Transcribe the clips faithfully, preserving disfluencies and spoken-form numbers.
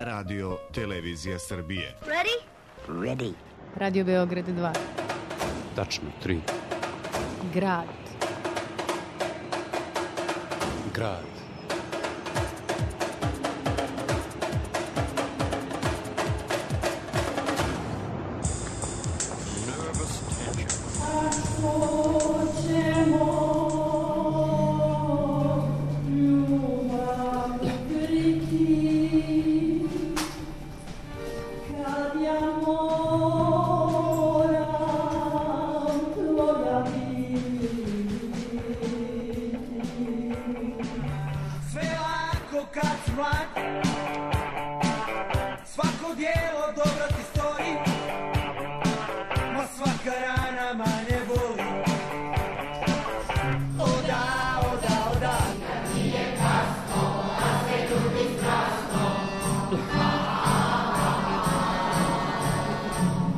Radio Televizija Srbije. Ready? Ready. Radio Beograd dva. Tačno, tri. Grad. Grad. Nervous tension. Svako djelo dobro ti stoji, ma svaka rana manje boli. Oda, oda, oda, nije kasno, a sve ljubi strasno.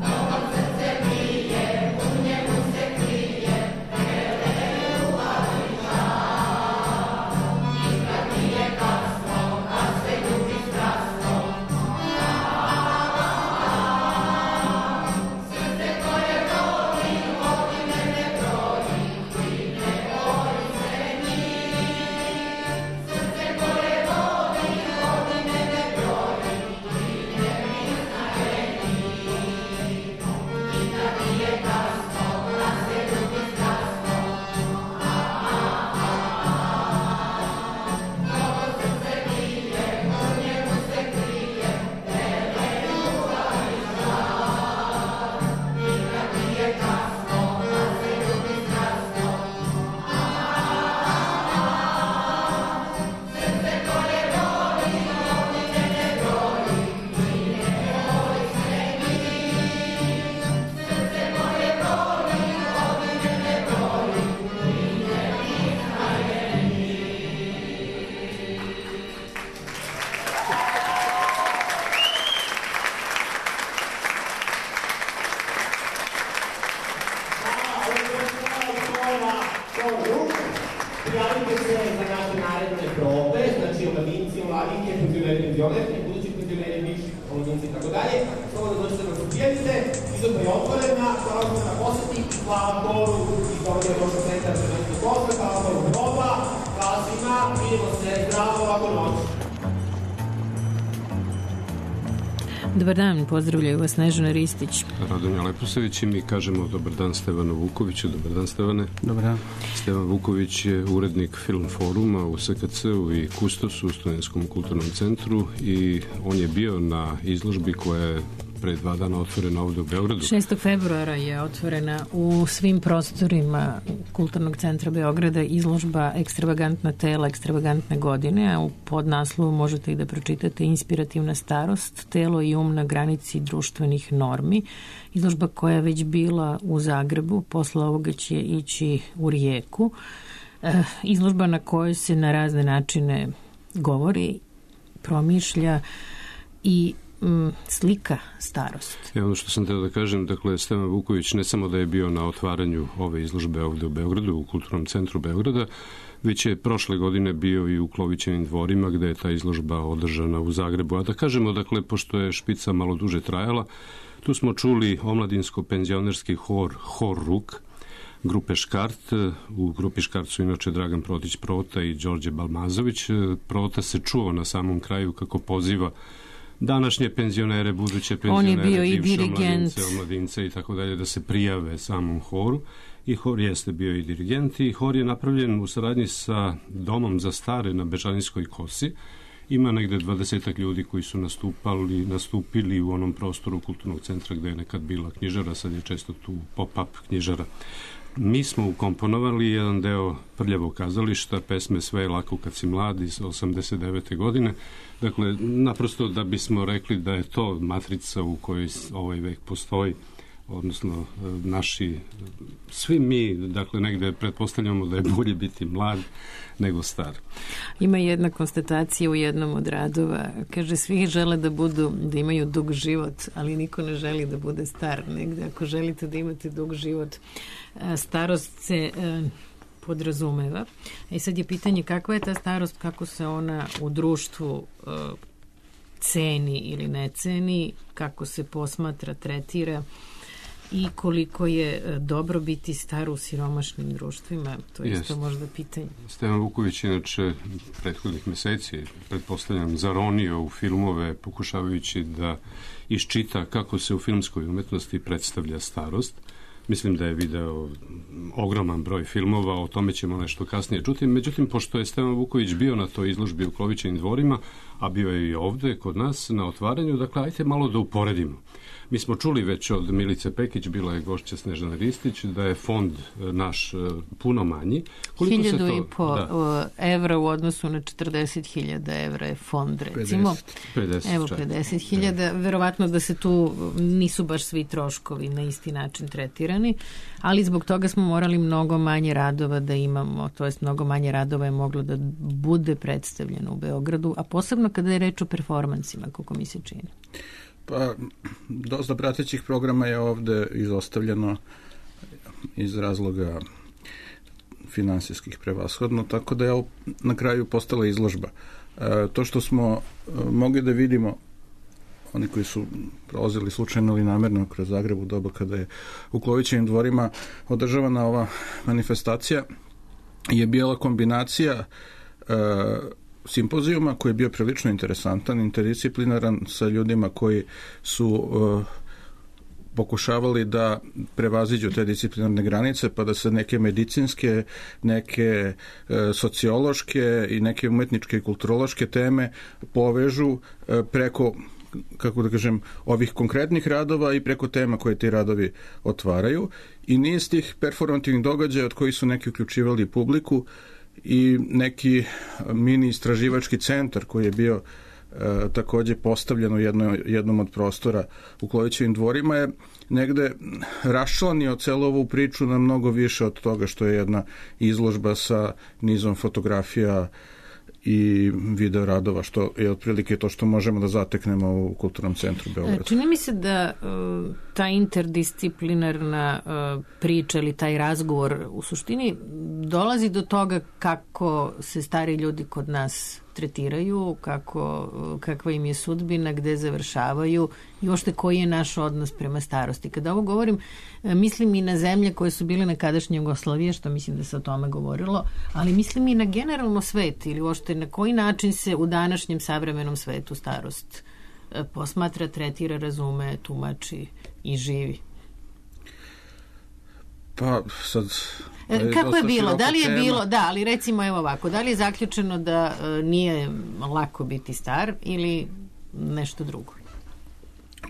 Novom srce bije, u njemu se krije, vele ljubav i žal. Nikad nije kasno, a sve ljubi strasno. Prijavite se za naše naredne probe, znači omladinci, omladinke, penzioneri, penzionerke, budući penzioneri, bivši omladinci i tako dalje. Samo da dođete da se prijavite, izložba je otvorena, hvala vam na poseti, hvala Boru i Dovolje Roša centra za ženski posle, hvala Boru proba, hvala svima, vidimo se, zdravo, lako noć. Dobar dan, pozdravljaju vas Snežana Ristić. Radomir Leposavić i mi kažemo dobar dan Stevanu Vukoviću. Dobar dan, Stevane. Dobar dan. Stevan Vuković je urednik Film foruma u S K C-u i Kustosu u Studentskom kulturnom centru i on je bio na izložbi koja je pre dva dana otvorena ovde u Beogradu. šestog februara je otvorena u svim prostorima Kulturnog centra Beograda izložba Ekstravagantna tela, ekstravagantne godine, a u podnaslovu možete i da pročitate Inspirativna starost, telo i um na granici društvenih normi. Izložba koja je već bila u Zagrebu, posle ovoga će ići u Rijeku. E, izložba na kojoj se na razne načine govori, promišlja i slika starost. I ono što sam teo da kažem, dakle, Stevan Vuković ne samo da je bio na otvaranju ove izložbe ovde u Beogradu, u Kulturnom centru Beograda, već je prošle godine bio i u Klovićevim dvorima gde je ta izložba održana u Zagrebu. A da kažemo, dakle, pošto je špica malo duže trajala, tu smo čuli omladinsko-penzionerski hor, hor Ruk, grupe Škart. U grupi Škart su inače Dragan Protić Prota i Đorđe Balmazović. Prota se čuo na samom kraju kako poziva današnje penzionere, buduće penzionere, bivše omladince, omladince i tako dalje da se prijave samom horu. I hor jeste bio i dirigent i hor je napravljen u saradnji sa Domom za stare na Bežanijskoj kosi. Ima negde dvadesetak ljudi koji su nastupali, nastupili u onom prostoru Kulturnog centra gde je nekad bila knjižara, sad je često tu pop-up knjižara. Mi smo ukomponovali jedan deo Prljavog kazališta, pesme Sve je lako kad si mlad iz osamdeset devete godine. Dakle, naprosto da bismo rekli da je to matrica u kojoj ovaj vek postoji, odnosno naši, svi mi, dakle, negde pretpostavljamo da je bolje biti mlad nego star. Ima jedna konstatacija u jednom od radova, kaže, svi žele da budu, da imaju dug život, ali niko ne želi da bude star. Negde, ako želite da imate dug život, starost se podrazumeva. I sad je pitanje kakva je ta starost, kako se ona u društvu ceni ili ne ceni, kako se posmatra, tretira i koliko je dobro biti star u siromašnim društvima, to je isto možda pitanje. Stevan Vuković inače prethodnih meseci, pretpostavljam, zaronio u filmove pokušavajući da iščita kako se u filmskoj umetnosti predstavlja starost. Mislim da je video ogroman broj filmova, o tome ćemo nešto kasnije čuti. Međutim, pošto je Stevan Vuković bio na toj izložbi u Klovićevim dvorima, a bio je i ovde kod nas na otvaranju, dakle, ajte malo da uporedimo. Mi smo čuli već od Milice Pekić, bila je gošća Snežana Ristić, da je fond naš puno manji. Koliko Hiljadu se to, i po da. evra u odnosu na četrdeset hiljada evra je fond, recimo. pedeset, Evo, pedeset hiljada. Verovatno da se tu nisu baš svi troškovi na isti način tretirani, ali zbog toga smo morali mnogo manje radova da imamo, to jest mnogo manje radova je moglo da bude predstavljeno u Beogradu, a posebno kada je reč o performansima, kako mi se čini. Pa, dosta pratećih programa je ovde izostavljeno iz razloga finansijskih prevashodno, tako da je na kraju postala izložba. E, to što smo mogli da vidimo, oni koji su prolazili slučajno ili namerno kroz Zagreb u doba kada je u Klovićevim dvorima održavana ova manifestacija, je bila kombinacija e, simpozijuma koji je bio prilično interesantan, interdisciplinaran sa ljudima koji su uh, pokušavali da prevaziđu te disciplinarne granice, pa da se neke medicinske, neke uh, sociološke i neke umetničke i kulturološke teme povežu uh, preko, kako da kažem, ovih konkretnih radova i preko tema koje ti radovi otvaraju. I niz tih performativnih događaja od kojih su neki uključivali publiku i neki mini istraživački centar koji je bio e, takođe postavljen u jedno, jednom od prostora u Klovićevim dvorima je negde raščlanio celu ovu priču na mnogo više od toga što je jedna izložba sa nizom fotografija i video radova, što je otprilike to što možemo da zateknemo u Kulturnom centru Beograda. Čini mi se da uh, ta interdisciplinarna uh, priča ili taj razgovor u suštini dolazi do toga kako se stari ljudi kod nas tretiraju, kako, kakva im je sudbina, gde završavaju i uopšte koji je naš odnos prema starosti. Kada ovo govorim, mislim i na zemlje koje su bile nekadašnje Jugoslavije, što mislim da se o tome govorilo, ali mislim i na generalno svet ili uopšte na koji način se u današnjem savremenom svetu starost posmatra, tretira, razume, tumači i živi. Pa sad... Je kako je bilo? Da li je tema. bilo, da, ali recimo evo ovako, da li je zaključeno da e, nije lako biti star ili nešto drugo?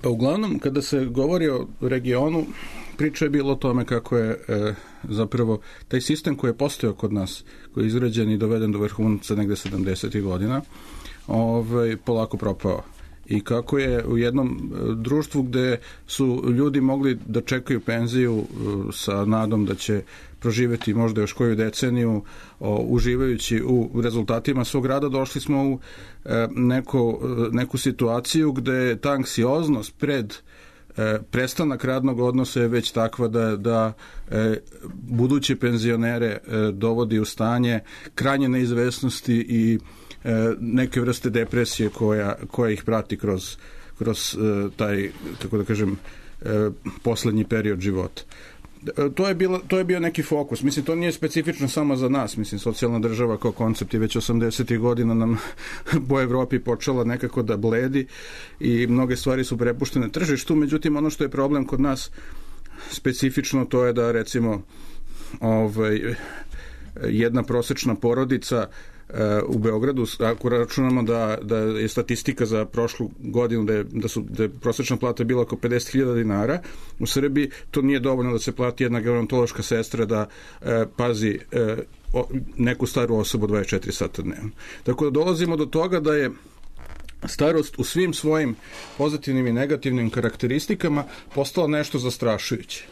Pa uglavnom, kada se govori o regionu, priča je bilo o tome kako je e, zapravo taj sistem koji je postojao kod nas, koji je izrađen i doveden do vrhunca negde sedamdesetih godina, ovaj, polako propao. I kako je u jednom društvu gde su ljudi mogli da čekaju penziju sa nadom da će proživeti možda još koju deceniju o, uživajući u rezultatima svog rada, došli smo u e, neko, neku situaciju gde ta anksioznost pred e, prestanak radnog odnosa je već takva da, da e, buduće penzionere e, dovodi u stanje krajnje neizvesnosti i neke vrste depresije koja, koja ih prati kroz, kroz taj, kako da kažem, poslednji period života. To je, bilo, to je bio neki fokus. Mislim, to nije specifično samo za nas. Mislim, socijalna država kao koncept je već osamdesetih godina nam po Evropi počela nekako da bledi i mnoge stvari su prepuštene tržištu. Međutim, ono što je problem kod nas specifično, to je da, recimo, ovaj, jedna prosečna porodica u Beogradu, ako računamo da, da je statistika za prošlu godinu da je, da su, da je prosečna plata bila oko pedeset hiljada dinara, u Srbiji to nije dovoljno da se plati jedna gerontološka sestra da e, pazi e, o, neku staru osobu dvadeset četiri sata dnevno. Tako da dolazimo do toga da je starost u svim svojim pozitivnim i negativnim karakteristikama postala nešto zastrašujuće.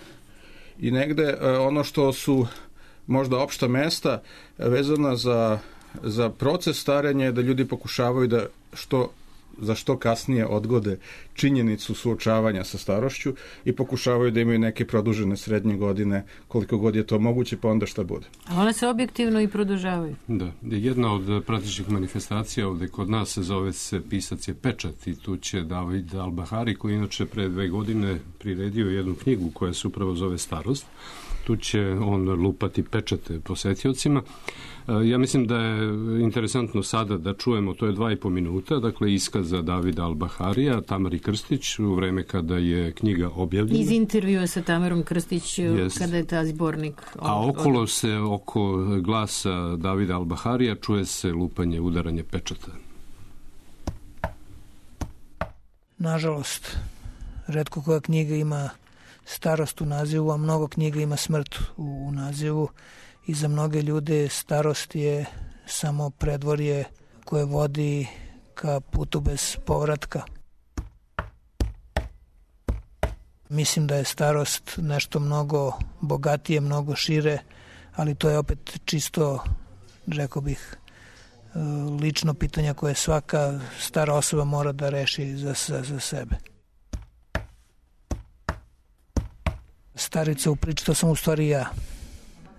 I negde e, ono što su možda opšta mesta vezana za za proces starenja je da ljudi pokušavaju da što za što kasnije odgode činjenicu suočavanja sa starošću i pokušavaju da imaju neke produžene srednje godine, koliko god je to moguće, pa onda šta bude. A one se objektivno i produžavaju. Da, jedna od pratećih manifestacija ovde kod nas se zove se Pisac je pečat i tu će David Al-Bahari, koji inače pre dve godine priredio jednu knjigu koja se upravo zove Starost. Tu će on lupati pečate posetiocima. Ja mislim da je interesantno sada da čujemo, to je dva i po minuta, dakle iskaza Davida Al-Baharija, Tamari Krstić, u vreme kada je knjiga objavljena. Iz intervjua sa Tamarom Krstić yes. kada je ta zbornik. Od, A okolo se, oko glasa Davida Al-Baharija čuje se lupanje, udaranje pečata. Nažalost, retko koja knjiga ima starost u nazivu, a mnogo knjiga ima smrt u, u nazivu. I za mnoge ljude starost je samo predvorje koje vodi ka putu bez povratka. Mislim da je starost nešto mnogo bogatije, mnogo šire, ali to je opet čisto, rekao bih, lično pitanje koje svaka stara osoba mora da reši za, za, za sebe. Starica u priči, to sam u stvari ja.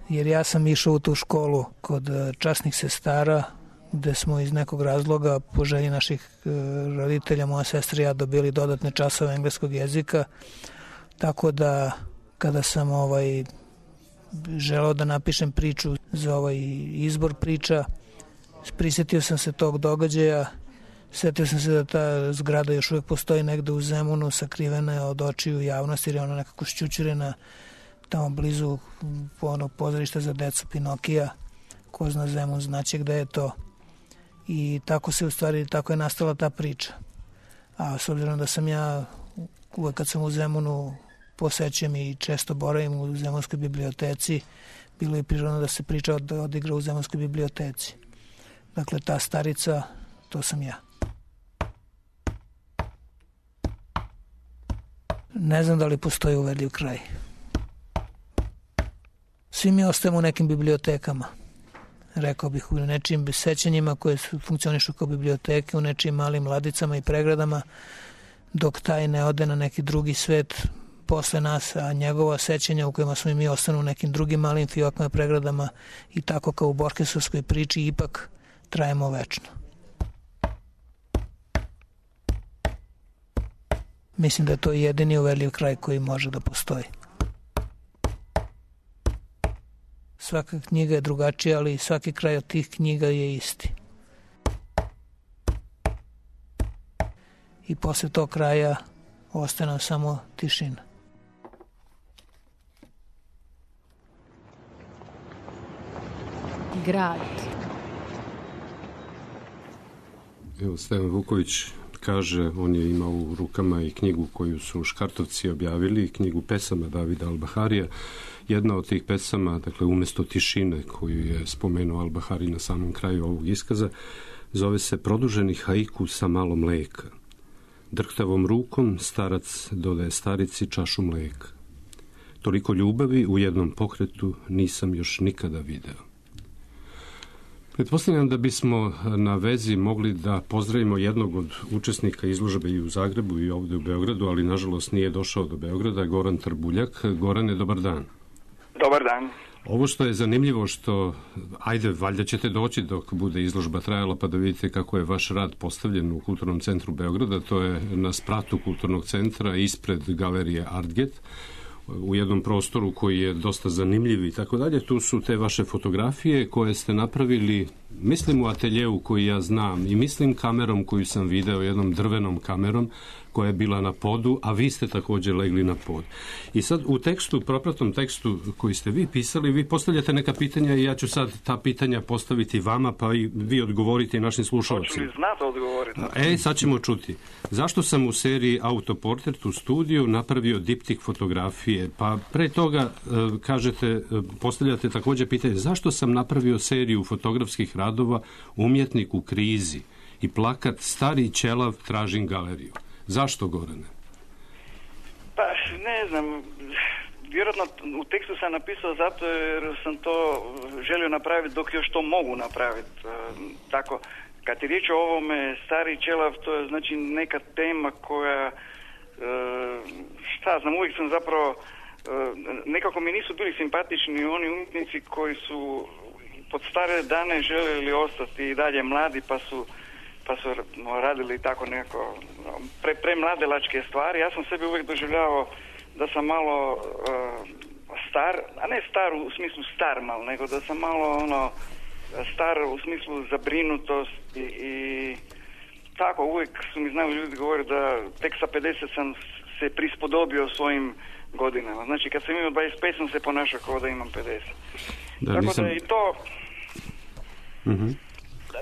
Jer ja sam išao u tu školu kod časnih sestara, gde smo iz nekog razloga, po želji naših roditelja, moja sestra i ja dobili dodatne časove engleskog jezika, tako da kada sam ovaj želeo da napišem priču za ovaj izbor priča, prisetio sam se tog događaja, setio sam se da ta zgrada još uvijek postoji negde u Zemunu, sakrivena je od očiju javnosti, jer je ona nekako šćućurena tamo blizu onog pozorišta za decu Pinokija, ko zna Zemun znaće gde je to. I tako se u stvari, tako je nastala ta priča. A s obzirom da sam ja uvek kad sam u Zemunu posećujem i često boravim u Zemunskoj biblioteci, bilo je prirodno da se priča od, odigra u Zemunskoj biblioteci. Dakle, ta starica, to sam ja. Ne znam da li postoji uverljiv kraj. Svi mi ostajemo u nekim bibliotekama. Rekao bih u nečijim sećanjima koje funkcionišu kao biblioteke, u nečijim malim ladicama i pregradama, dok taj ne ode na neki drugi svet posle nas, a njegova sećanja u kojima smo i mi ostanu u nekim drugim malim fiokama i pregradama i tako kao u Borgesovskoj priči ipak trajemo večno. Mislim da je to jedini uverljiv kraj koji može da postoji. Svaka knjiga je drugačija, ali svaki kraj od tih knjiga je isti. I posle tog kraja ostaje nam samo tišina. Grad. Evo, Stevan Vuković kaže, on je imao u rukama i knjigu koju su Škartovci objavili, knjigu pesama Davida Al-Baharija. Jedna od tih pesama, dakle, umesto tišine koju je spomenuo Al-Bahari na samom kraju ovog iskaza, zove se Produženi haiku sa malo mleka. Drhtavom rukom starac dodaje starici čašu mleka. Toliko ljubavi u jednom pokretu nisam još nikada video. Pretpostavljam da bismo na vezi mogli da pozdravimo jednog od učesnika izložbe i u Zagrebu i ovde u Beogradu, ali nažalost nije došao do Beograda, Goran Trbuljak. Gorane, dobar dan. Dobar dan. Ovo što je zanimljivo što, ajde, valjda ćete doći dok bude izložba trajala pa da vidite kako je vaš rad postavljen u Kulturnom centru Beograda, to je na spratu Kulturnog centra ispred galerije Artget, u jednom prostoru koji je dosta zanimljiv i tako dalje. Tu su te vaše fotografije koje ste napravili, mislim u ateljeu koji ja znam i mislim kamerom koju sam video, jednom drvenom kamerom koja je bila na podu, a vi ste također legli na pod. I sad u tekstu, propratnom tekstu koji ste vi pisali, vi postavljate neka pitanja i ja ću sad ta pitanja postaviti vama, pa i vi odgovorite našim slušalcima. Hoću li znati odgovoriti? E, sad ćemo čuti. Zašto sam u seriji Autoportret u studiju napravio diptik fotografije? Pa pre toga, kažete, postavljate također pitanje, zašto sam napravio seriju fotografskih radova Umjetnik u krizi i plakat Stari ćelav tražim galeriju? Zašto, Gorane? Pa, ne znam, vjerojatno u tekstu sam napisao zato jer sam to želio napraviti dok još to mogu napraviti. Tako, kad je riječ o ovome stari čelav, to je znači neka tema koja, e, šta znam, uvijek sam zapravo, e, nekako mi nisu bili simpatični oni umjetnici koji su pod stare dane željeli ostati i dalje mladi, pa su pa su radili tako neko pre, premladelačke stvari. Ja sam sebi uvijek doživljavao da sam malo uh, star, a ne star u smislu star mal, nego da sam malo ono star u smislu zabrinutost i, i tako uvijek su mi znali ljudi govori da tek sa pedeset sam se prispodobio svojim godinama. Znači kad sam imao dvadeset pet sam se ponašao kao da imam pedeset. Da, tako nisam... da i to... Mm-hmm.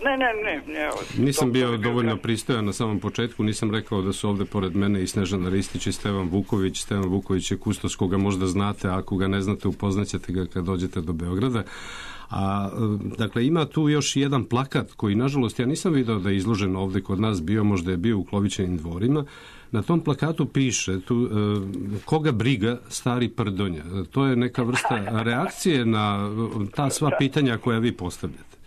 Ne, ne, ne. ne nisam bio dovoljno pristojan na samom početku, nisam rekao da su ovdje pored mene i Snežana Ristić i Stevan Vuković. Stevan Vuković je kustos koga možda znate, a ako ga ne znate upoznaćete ga kad dođete do Beograda. A, dakle, ima tu još jedan plakat koji, nažalost, ja nisam video da je izložen ovdje kod nas, bio, možda je bio u Klovićevim dvorima. Na tom plakatu piše tu, e, koga briga stari Prdonja. To je neka vrsta reakcije na ta sva pitanja koja vi postavljate.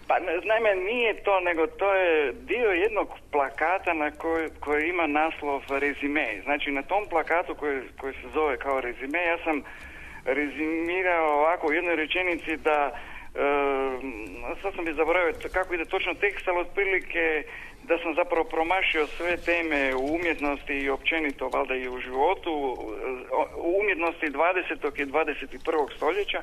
Pa, naime, nije to, nego to je dio jednog plakata na koji, koji ima naslov rezime. Znači, na tom plakatu koji, koji se zove kao rezime, ja sam rezimirao ovako u jednoj rečenici da, e, sad sam bi zaboravio kako ide točno tekst, ali otprilike da sam zapravo promašio sve teme u umjetnosti i općenito, valjda i u životu, u umjetnosti dvadesetog i dvadeset prvog stoljeća.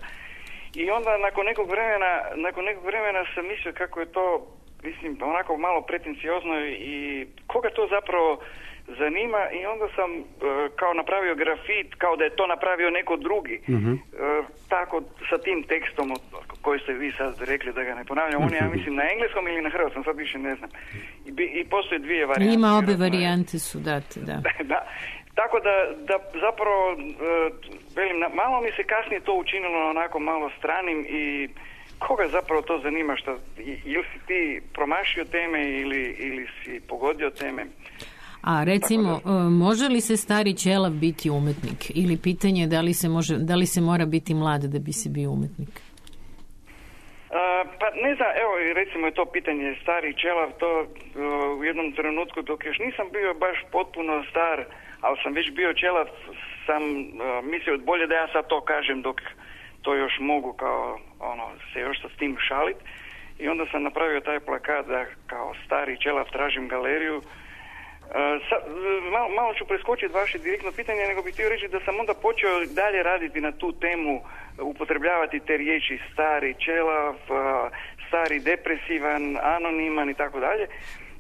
I onda nakon nekog vremena, nakon nekog vremena sam mislio kako je to, mislim, onako malo pretenciozno i koga to zapravo zanima, i onda sam e, kao napravio grafit, kao da je to napravio neko drugi. Mm-hmm. E, tako sa tim tekstom koji ste vi sad rekli, da ga ne ponavljam, on je, ja mislim, na engleskom ili na hrvatskom, sad više ne znam. I, i postoje dvije varijante. Ima obe varijante su date, da. da. Tako da, da zapravo, e, velim, malo mi se kasnije to učinilo onako malo stranim i koga zapravo to zanima, šta, ili si ti promašio teme ili, ili si pogodio teme. A recimo, da, može li se stari čelav biti umetnik? Ili pitanje da li se, može, da li se mora biti mlad da bi se bio umetnik? Uh, pa ne znam, evo recimo je to pitanje stari čelav, to uh, u jednom trenutku dok još nisam bio baš potpuno star, ali sam već bio čelav, sam uh, mislio bolje da ja sad to kažem dok to još mogu kao ono se još sa s tim šalit, i onda sam napravio taj plakat da kao stari čelav tražim galeriju. Uh, sa, malo, malo ću preskočiti vaše direktno pitanje, nego bih htio reći da sam onda počeo dalje raditi na tu temu, upotrebljavati te riječi stari čelav, uh, stari depresivan, anoniman i tako dalje.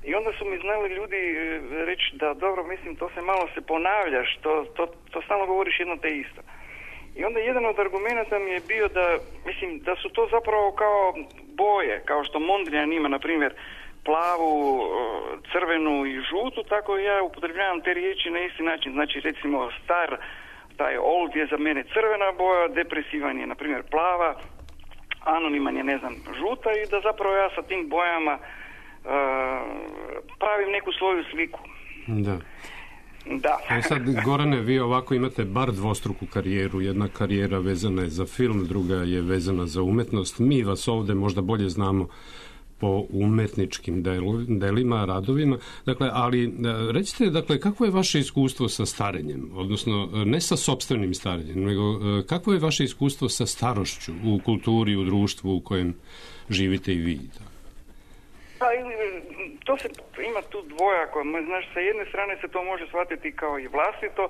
I onda su mi znali ljudi reći da dobro, mislim, to se malo se ponavljaš, to, to, to stalno govoriš jedno te isto. I onda jedan od argumenta mi je bio da, mislim, da su to zapravo kao boje, kao što Mondrian ima, na primjer, plavu, crvenu i žutu, tako ja upotrebljavam te riječi na isti način. Znači, recimo, star, taj old je za mene crvena boja, depresivan je, na primjer, plava, anoniman je, ne znam, žuta, i da zapravo ja sa tim bojama uh, pravim neku svoju sliku. Da. Da. A sad, Gorane, vi ovako imate bar dvostruku karijeru. Jedna karijera vezana je za film, druga je vezana za umetnost. Mi vas ovdje možda bolje znamo po umetničkim delima, radovima. Dakle, ali recite, dakle, kako je vaše iskustvo sa starenjem? Odnosno, ne sa sopstvenim starenjem, nego kako je vaše iskustvo sa starošću u kulturi, u društvu u kojem živite i vi? Pa, to se, ima tu dvojako. Znaš, sa jedne strane se to može shvatiti kao i vlastito,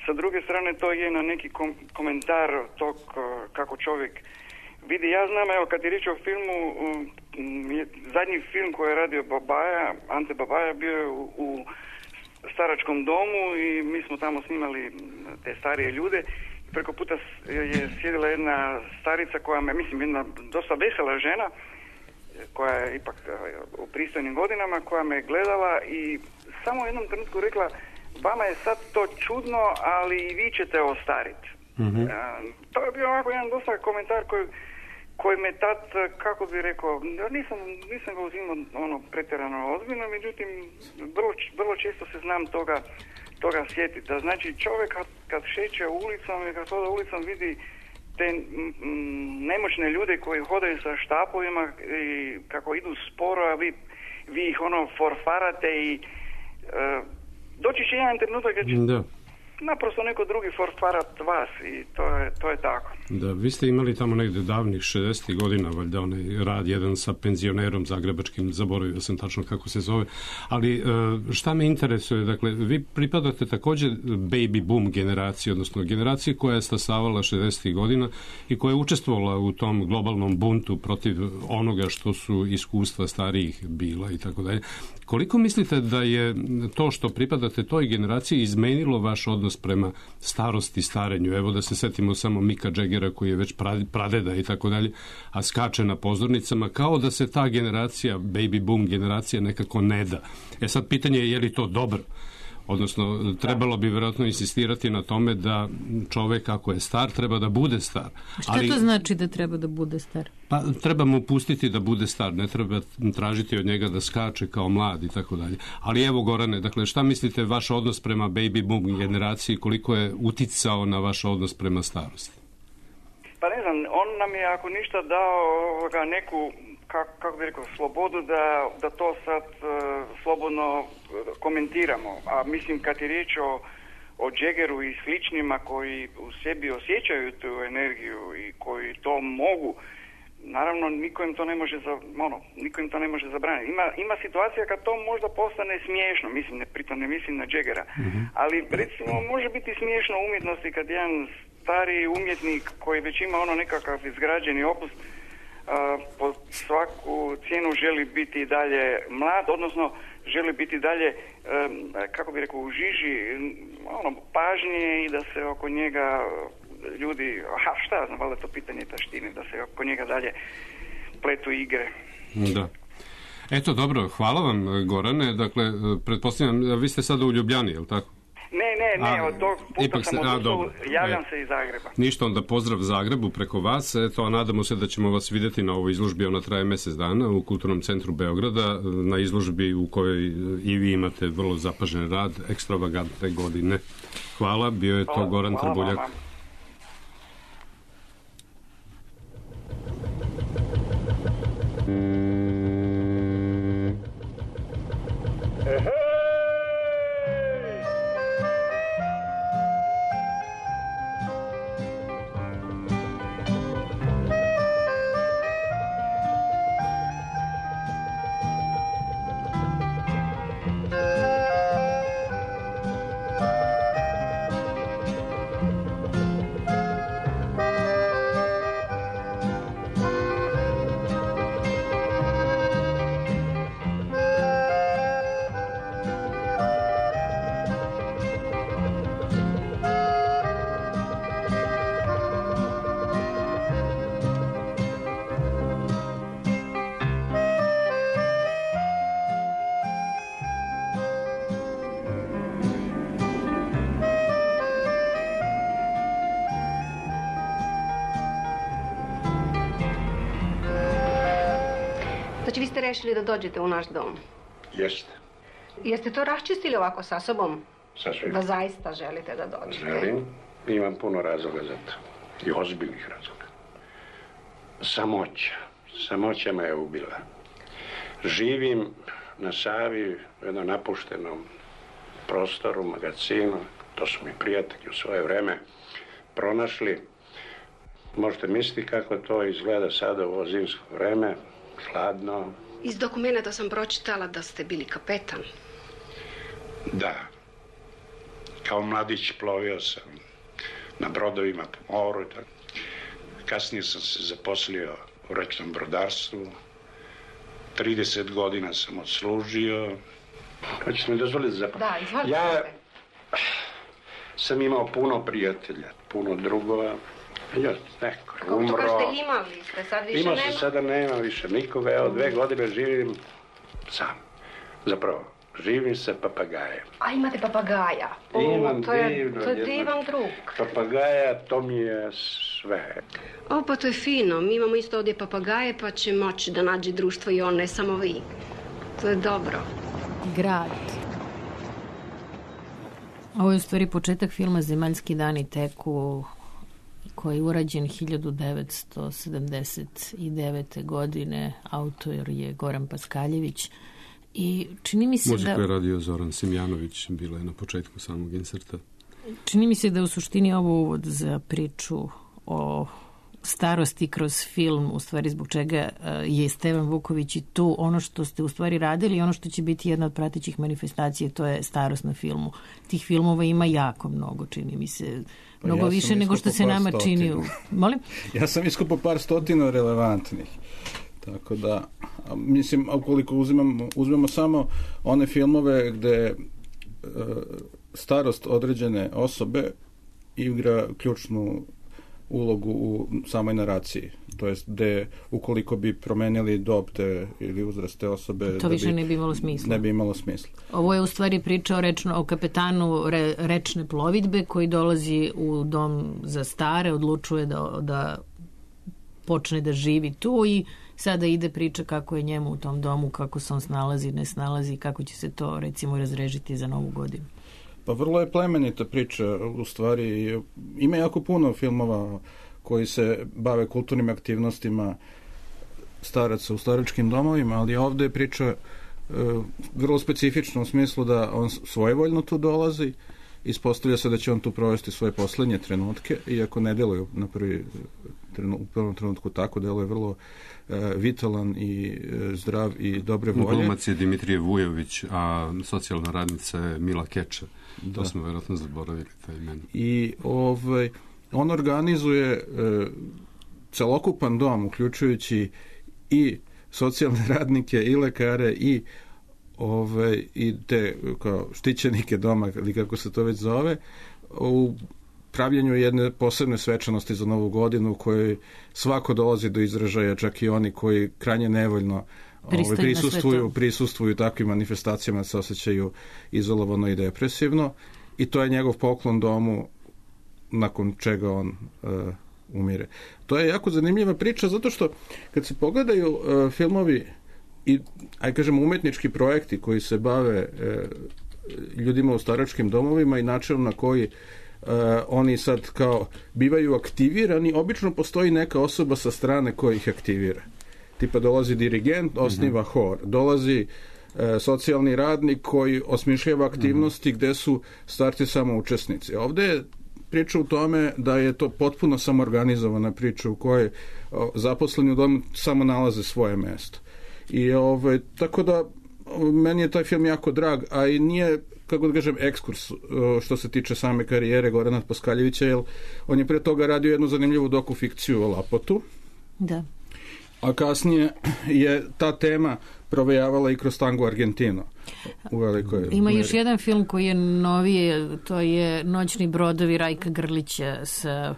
sa druge strane to je na neki kom- komentar tog kako čovjek vidi. Ja znam, evo, kad je riječ o filmu, zadnji film koji je radio Babaja, Ante Babaja, bio je u, u staračkom domu i mi smo tamo snimali te starije ljude. Preko puta je sjedila jedna starica koja me, mislim, jedna dosta vesela žena, koja je ipak u pristojnim godinama, koja me gledala i samo u jednom trenutku rekla, vama je sad to čudno, ali i vi ćete ostariti. Mm-hmm. Uh, to je bio ovako jedan dosta komentar koji, koji me tad, kako bi rekao, nisam, nisam ga uzimao ono pretjerano ozbiljno, međutim, vrlo, vrlo često se znam toga, toga sjetiti. Da znači čovjek kad, kad šeće ulicom i kad hoda ulicom vidi te m, nemoćne ljude koji hodaju sa štapovima i kako idu sporo, a vi vi ih ono forfarate i e, doći će jedan trenutak kad će da. naprosto neko drugi forfarat vas i to je, to je tako. Da, vi ste imali tamo negde davnih šezdesetih godina, valjda onaj rad jedan sa penzionerom zagrebačkim, zaboravio sam tačno kako se zove, ali šta me interesuje, dakle, vi pripadate također baby boom generaciji, odnosno generaciji koja je stasavala šezdesetih godina i koja je učestvovala u tom globalnom buntu protiv onoga što su iskustva starijih bila i tako dalje. Koliko mislite da je to što pripadate toj generaciji izmenilo vaš odnos prema starosti, starenju? Evo da se setimo samo Mika Džegera koji je već pradeda i tako dalje, a skače na pozornicama, kao da se ta generacija, baby boom generacija nekako ne da. E sad pitanje je je li to dobro? Odnosno, trebalo bi vjerojatno insistirati na tome da čovek ako je star, treba da bude star. Šta ali, to znači da treba da bude star? Pa treba mu pustiti da bude star, ne treba tražiti od njega da skače kao mlad i tako dalje. Ali evo Gorane, dakle, šta mislite vaš odnos prema baby boom generaciji, koliko je uticao na vaš odnos prema starosti? Pa ne znam, on nam je ako ništa dao ovoga, neku Kako, kako bi rekao, slobodu da, da to sad uh, slobodno komentiramo. A mislim kad je riječ o, o Jaggeru i sličnima koji u sebi osjećaju tu energiju i koji to mogu, naravno niko im to ne može za, ono, niko im to ne može zabraniti. Ima, ima situacija kad to možda postane smiješno, mislim, ne, pritom ne mislim na Jaggera, mm-hmm. ali recimo može biti smiješno u umjetnosti kad jedan stari umjetnik koji već ima ono nekakav izgrađeni opus Uh, po svaku cijenu želi biti dalje mlad, odnosno želi biti dalje, um, kako bi rekao, u žiži ono, pažnje i da se oko njega ljudi, aha, šta znam, valjda to pitanje taštine, da se oko njega dalje pletu igre. Da. Eto, dobro, hvala vam, Gorane. Dakle, pretpostavljam, vi ste sada u Ljubljani, je li tako? Ne, ne, ne, a, od tog puta sam odustao, javljam e, se iz Zagreba. Ništa, onda pozdrav Zagrebu preko vas, eto, a nadamo se da ćemo vas vidjeti na ovoj izložbi, ona traje mjesec dana u Kulturnom centru Beograda, na izložbi u kojoj i vi imate vrlo zapažen rad, ekstravagantne godine. Hvala, bio je to Goran hvala, Trbuljak. Hvala, Znači, vi ste rešili da dođete u naš dom? Jeste. Jeste to raščistili ovako sa sobom? Sasvim. Da zaista želite da dođete? Želim. Imam puno razloga za to. I ozbiljnih razloga. Samoća. Samoća me je ubila. Živim na Savi u jednom napuštenom prostoru, magazinu. To su mi prijatelji u svoje vreme pronašli. Možete misliti kako to izgleda sada u ovo zimsko vreme. Hladno. Iz dokumenta sam pročitala da ste bili kapetan. Da. Kao mladić plovio sam na brodovima po moru. Kasnije sam se zaposlio u rečnom brodarstvu. trideset godina sam odslužio. Hoćete mi dozvoliti za... Da, izvolite. Ja sam imao puno prijatelja, puno drugova. Ja, neko je umro. Kako to kažete, imali ste, sad više Imao nema? Imao se, sada nema više nikoga. Evo, dve godine živim sam. Zapravo, živim sa papagajem. A imate papagaja? O, Imam to je, divno. To je divan drug. Papagaja, to mi je sve. O, pa to je fino. Mi imamo isto ovdje papagaje, pa će moći da nađe društvo i on, ne samo vi. To je dobro. Grad. Ovo je u stvari početak filma Zemaljski dani teku, koji je urađen hiljadu devetsto sedamdeset devete. godine. Autor je Goran Paskaljević I čini mi se Muziku da... je radio Zoran Simjanović, bila je na početku samog inserta. Čini mi se da u suštini ovo uvod za priču o starosti kroz film, u stvari zbog čega je Stevan Vuković i tu ono što ste u stvari radili i ono što će biti jedna od pratećih manifestacija, to je starost na filmu. Tih filmova ima jako mnogo, čini mi se, mnogo pa ja više nego što se nama stotina. čini. U... Molim? Ja sam iskupao par stotina relevantnih. Tako da, mislim, ukoliko uzimamo, uzmemo samo one filmove gde e, starost određene osobe igra ključnu ulogu u samoj naraciji. To jest gde ukoliko bi promenili dob te ili uzrast te osobe... To više bi, ne bi imalo smisla. Ne bi imalo smisla. Ovo je u stvari priča o, rečno, o kapetanu re, rečne plovidbe koji dolazi u dom za stare, odlučuje da, da počne da živi tu i sada ide priča kako je njemu u tom domu, kako se on snalazi, ne snalazi, kako će se to recimo razrežiti za novu godinu. Pa vrlo je plemenita priča, u stvari ima jako puno filmova koji se bave kulturnim aktivnostima staraca u staračkim domovima, ali ovde je priča e, vrlo specifična u smislu da on svojevoljno tu dolazi, ispostavlja se da će on tu provesti svoje poslednje trenutke, iako ne deluje na prvi trenu, u prvom trenutku tako, deluje vrlo e, vitalan i e, zdrav i dobre volje. Glumac je Dimitrije Vujović, a socijalna radnica je Mila Keča. Da. To smo vjerojatno zaboravili taj imen. I ovaj, on organizuje e, celokupan dom, uključujući i socijalne radnike, i lekare, i Ove, i te kao štićenike doma, ili kako se to već zove, u pravljenju jedne posebne svečanosti za Novu godinu u kojoj svako dolazi do izražaja, čak i oni koji krajnje nevoljno ove, prisustvuju, prisustvuju takvim manifestacijama, se osjećaju izolovano i depresivno, i to je njegov poklon domu nakon čega on uh, umire. To je jako zanimljiva priča, zato što kad se pogledaju uh, filmovi i, aj kažem, umetnički projekti koji se bave e, ljudima u staračkim domovima i način na koji e, oni sad kao bivaju aktivirani, obično postoji neka osoba sa strane koja ih aktivira. Tipa dolazi dirigent, osniva mm-hmm. hor, dolazi e, socijalni radnik koji osmišljava aktivnosti mm-hmm. gde su starci samo učesnici. Ovde je priča u tome da je to potpuno samoorganizovana priča u kojoj o, zaposleni u domu samo nalaze svoje mesto. I ovaj, tako da meni je taj film jako drag, a i nije, kako da kažem, ekskurs što se tiče same karijere Gorana Paskaljevića, jer on je pre toga radio jednu zanimljivu dokufikciju o Lapotu. Da. A kasnije je ta tema provejavala i kroz Tango Argentino. U velikoj Ima meri. još jedan film koji je novije, to je Noćni brodovi Rajka Grlića sa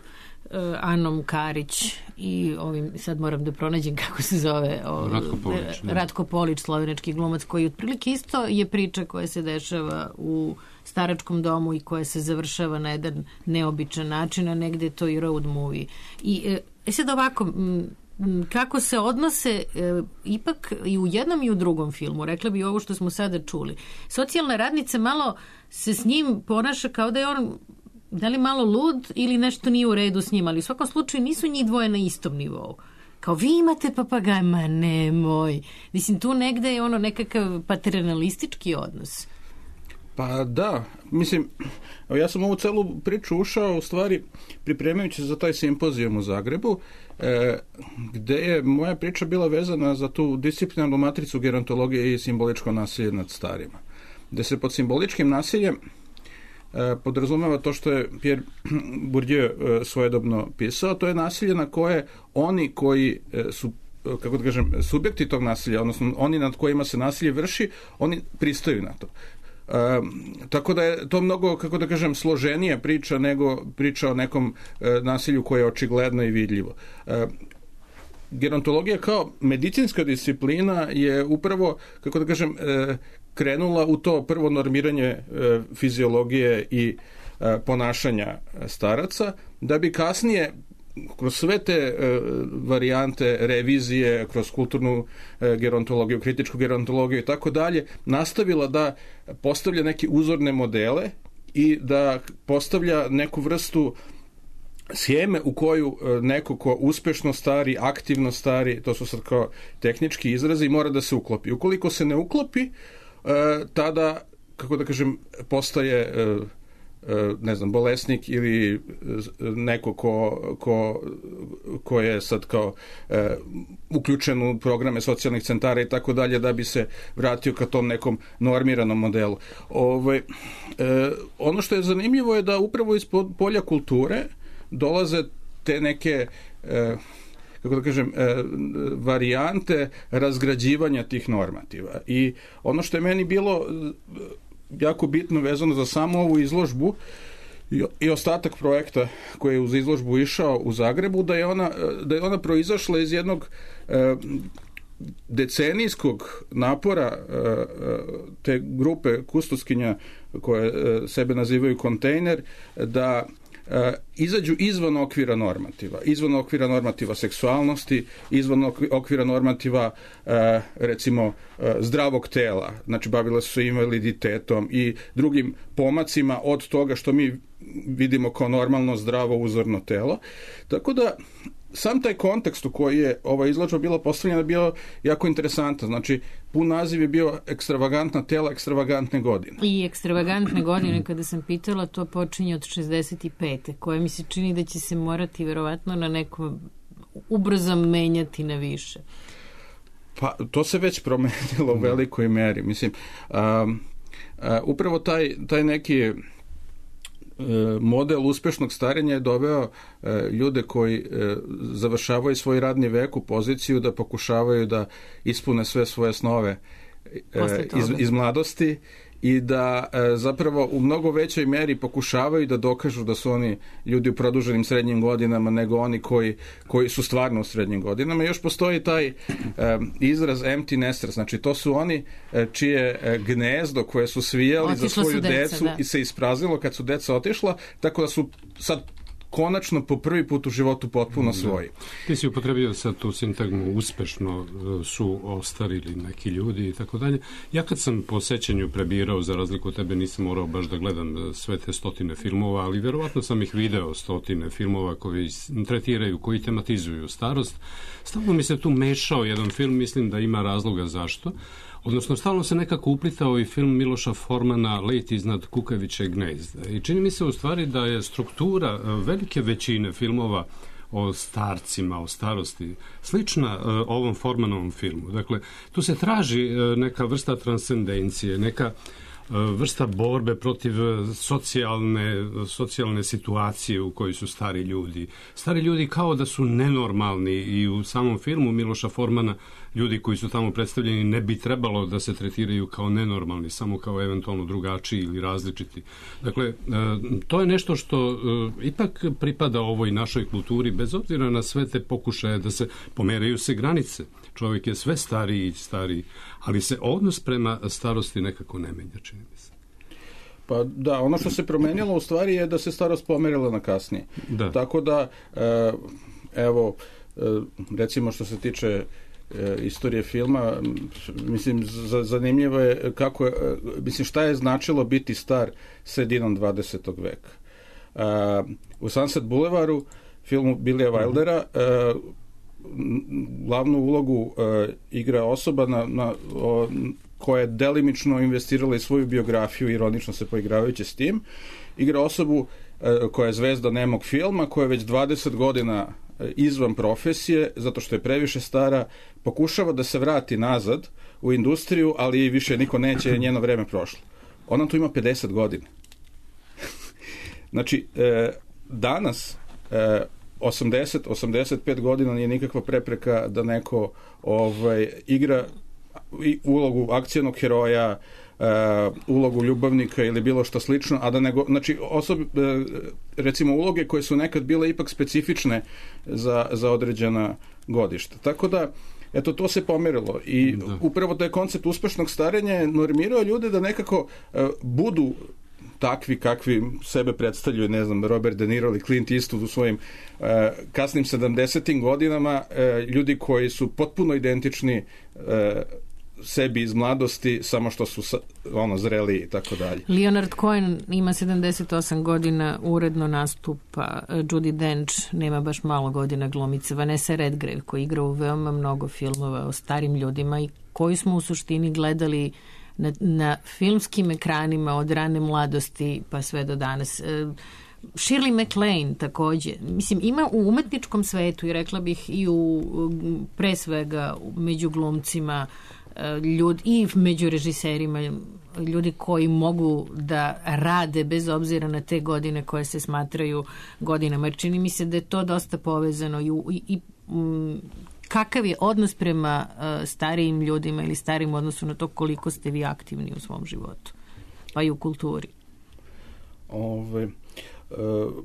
Anom Karić i ovim, sad moram da pronađem kako se zove o, Ratko Polić, Ratko Polić, slovenački glumac, koji otprilike isto je priča koja se dešava u staračkom domu i koja se završava na jedan neobičan način, a negde je to i road movie. I e, sad ovako, m, kako se odnose e, ipak i u jednom i u drugom filmu, rekla bi ovo što smo sada čuli. Socijalna radnica malo se s njim ponaša kao da je on da li malo lud ili nešto nije u redu s njim, ali u svakom slučaju nisu njih dvoje na istom nivou. Kao vi imate papagaj, ma nemoj. Mislim, tu negde je ono nekakav paternalistički odnos. Pa da, mislim, ja sam ovu celu priču ušao u stvari pripremajući za taj simpozijum u Zagrebu, e, gde je moja priča bila vezana za tu disciplinarnu matricu gerontologije i simboličko nasilje nad starima. Gde se pod simboličkim nasiljem podrazumeva to što je Pierre Bourdieu svojedobno pisao, to je nasilje na koje oni koji su, kako da kažem, subjekti tog nasilja, odnosno oni nad kojima se nasilje vrši, oni pristaju na to. E, tako da je to mnogo, kako da kažem, složenija priča nego priča o nekom e, nasilju koje je očigledno i vidljivo. E, gerontologija kao medicinska disciplina je upravo, kako da kažem, e, krenula u to prvo normiranje e, fiziologije i e, ponašanja staraca, da bi kasnije kroz sve te e, varijante revizije, kroz kulturnu e, gerontologiju, kritičku gerontologiju i tako dalje, nastavila da postavlja neke uzorne modele i da postavlja neku vrstu scheme u koju neko ko uspešno stari, aktivno stari, to su sad kao tehnički izrazi, mora da se uklopi. Ukoliko se ne uklopi, tada, kako da kažem, postaje ne znam, bolesnik ili neko ko, ko, ko je sad kao e, uključen u programe socijalnih centara i tako dalje, da bi se vratio ka tom nekom normiranom modelu. Ove, e, ono što je zanimljivo je da upravo iz polja kulture dolaze te neke e, kako da kažem, e, varijante razgrađivanja tih normativa. I ono što je meni bilo jako bitno vezano za samu ovu izložbu i, i ostatak projekta koji je uz izložbu išao u Zagrebu, da je ona, da je ona proizašla iz jednog e, decenijskog napora e, te grupe kustoskinja koje e, sebe nazivaju kontejner, da e, izađu izvan okvira normativa, izvan okvira normativa seksualnosti, izvan okvira normativa e, recimo e, zdravog tela, znači bavile su se invaliditetom i drugim pomacima od toga što mi vidimo kao normalno, zdravo, uzorno telo. Tako da sam taj kontekst u koji je ova izložba bila postavljena bio jako interesantan. Znači, pun naziv je bio ekstravagantna tela, ekstravagantne godine. I ekstravagantne godine, kada sam pitala, to počinje od šezdeset pete koje mi se čini da će se morati verovatno na neko ubrzo menjati na više. Pa, to se već promenilo u velikoj meri. Mislim, um, uh, upravo taj, taj neki model uspešnog starenja je doveo ljude koji završavaju svoj radni vek u poziciju da pokušavaju da ispune sve svoje snove iz, iz mladosti i da zapravo u mnogo većoj meri pokušavaju da dokažu da su oni ljudi u produženim srednjim godinama nego oni koji, koji su stvarno u srednjim godinama. I još postoji taj um, izraz empty nesters, znači to su oni čije gnezdo koje su svijali Otišla za svoju deca, decu da. I se ispraznilo kad su deca otišla, tako da su sad konačno po prvi put u životu potpuno svoji. Da. Ti si upotrebio sad tu sintagmu uspešno su ostarili neki ljudi i tako dalje. Ja kad sam po sećanju prebirao, za razliku od tebe nisam morao baš da gledam sve te stotine filmova, ali verovatno sam ih video stotine filmova koji tretiraju, koji tematizuju starost. Stalno mi se tu mešao jedan film, mislim da ima razloga zašto. Odnosno, stalno se nekako uplitao i film Miloša Formana Let iznad kukavičjeg gnezda. I čini mi se u stvari da je struktura velike većine filmova o starcima, o starosti, slična uh, ovom Formanovom filmu. Dakle, tu se traži uh, neka vrsta transcendencije, neka vrsta borbe protiv socijalne, socijalne situacije u kojoj su stari ljudi. Stari ljudi kao da su nenormalni i u samom filmu Miloša Formana ljudi koji su tamo predstavljeni ne bi trebalo da se tretiraju kao nenormalni, samo kao eventualno drugačiji ili različiti. Dakle, to je nešto što ipak pripada ovoj našoj kulturi, bez obzira na sve te pokušaje da se pomeraju se granice. Čovjek je sve stariji i stariji, ali se odnos prema starosti nekako ne menja, čini mi se. Pa da, ono što se promenilo u stvari je da se starost pomerila na kasnije. Da. Tako da, evo, recimo što se tiče istorije filma, mislim, zanimljivo je kako je, mislim, šta je značilo biti star sredinom dvadesetog veka. U Sunset Boulevardu, filmu Billya Wildera, glavnu ulogu uh, igra osoba na, na, o, koja je delimično investirala i svoju biografiju, ironično se poigravajući s tim. Igra osobu uh, koja je zvezda nemog filma, koja je već dvadeset godina uh, izvan profesije, zato što je previše stara, pokušava da se vrati nazad u industriju, ali više niko neće, jer njeno vreme prošlo. Ona tu ima pedeset godina. Znači, uh, danas uh, osamdeset do osamdeset pet godina nije nikakva prepreka da neko ovaj, igra ulogu akcionog heroja, uh, ulogu ljubavnika ili bilo što slično, a da nego, znači, osob, uh, recimo uloge koje su nekad bile ipak specifične za, za određena godišta. Tako da, eto, to se pomerilo i da. Upravo taj koncept uspešnog starenja je normirao ljude da nekako uh, budu takvi kakvi sebe predstavljaju, ne znam, Robert De Niro ili Clint Eastwood u svojim uh, kasnim sedamdesetim godinama, uh, ljudi koji su potpuno identični uh, sebi iz mladosti, samo što su ono zreli i tako dalje. Leonard Cohen ima sedamdeset osam godina, uredno nastupa. Judi Dench nema baš malo godina, glumica. Vanessa Redgrave koja igra u veoma mnogo filmova o starim ljudima i koji smo u suštini gledali na, na filmskim ekranima od rane mladosti pa sve do danas. Shirley MacLaine takođe. Mislim, ima u umetničkom svetu i rekla bih i u pre svega među glumcima ljudi i među režiserima ljudi koji mogu da rade bez obzira na te godine koje se smatraju godinama. Jer čini mi se da je to dosta povezano i, i, i m, kakav je odnos prema uh, starijim ljudima ili starijim odnosu na to koliko ste vi aktivni u svom životu, pa i u kulturi. Ove, uh,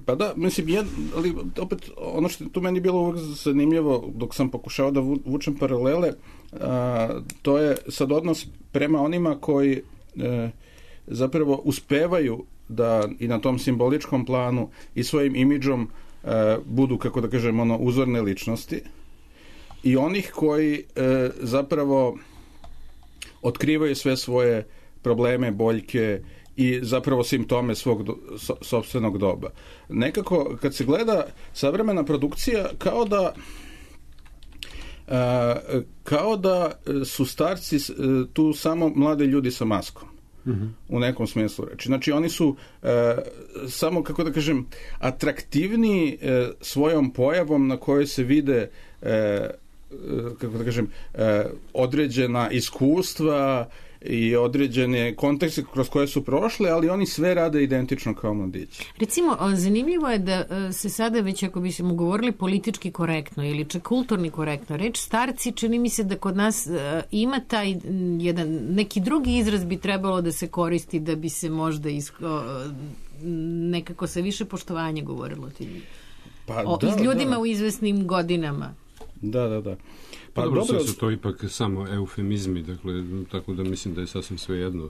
pa da, mislim, jed, ali opet ono što je tu meni bilo uvijek zanimljivo dok sam pokušao da vučem paralele, uh, to je sad odnos prema onima koji uh, zapravo uspevaju da i na tom simboličkom planu i svojim imidžom uh, budu, kako da kažem, ono, uzorne ličnosti, i onih koji e, zapravo otkrivaju sve svoje probleme, boljke i zapravo simptome svog do, so, sopstvenog doba. Nekako, kad se gleda savremena produkcija, kao da e, kao da su starci e, tu samo mlade ljudi sa maskom. Mm-hmm. U nekom smislu reči. Znači, oni su e, samo, kako da kažem, atraktivniji e, svojom pojavom na kojoj se vide e, kako da kažem, određena iskustva i određene kontekste kroz koje su prošle, ali oni sve rade identično kao mladići. Recimo, zanimljivo je da se sada već, ako bi se mu govorili politički korektno ili čak kulturni korektno, reč starci, čini mi se da kod nas ima taj jedan, neki drugi izraz bi trebalo da se koristi da bi se možda isko, nekako sa više poštovanja govorilo ti pa, o da, ljudima da. U izvesnim godinama. Da, da, da. Pa dobro, dobro su to ipak samo eufemizmi, dakle, tako da mislim da je sasvim sve jedno.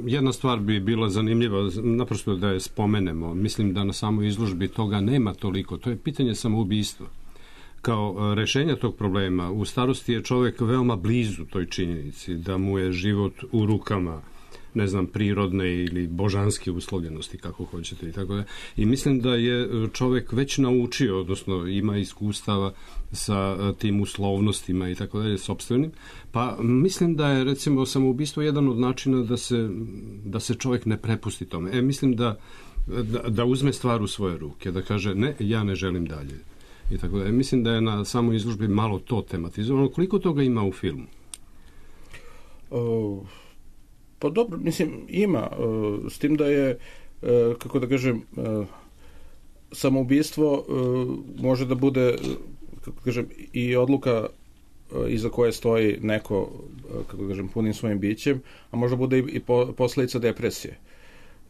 Jedna stvar bi bila zanimljiva, naprosto da je spomenemo. Mislim da na samoj izložbi toga nema toliko. To je pitanje samoubistva. Kao rešenja tog problema, u starosti je čovek veoma blizu toj činjenici, da mu je život u rukama, ne znam, prirodne ili božanske uslovljenosti, kako hoćete i tako da. I mislim da je čovek već naučio, odnosno ima iskustava sa tim uslovnostima i tako dalje, sopstvenim. Pa mislim da je, recimo, samoubistvo jedan od načina da se, da se čovek ne prepusti tome. E, mislim da, da, da uzme stvar u svoje ruke, da kaže, ne, ja ne želim dalje. I tako da. E, mislim da je na samoj izložbi malo to tematizovano. Koliko toga ima u filmu? Uh... Pa dobro, mislim, ima, s tim da je, kako da kažem, samoubistvo može da bude, kako da kažem, i odluka iza koje stoji neko, kako da kažem, punim svojim bićem, a može bude i posledica depresije.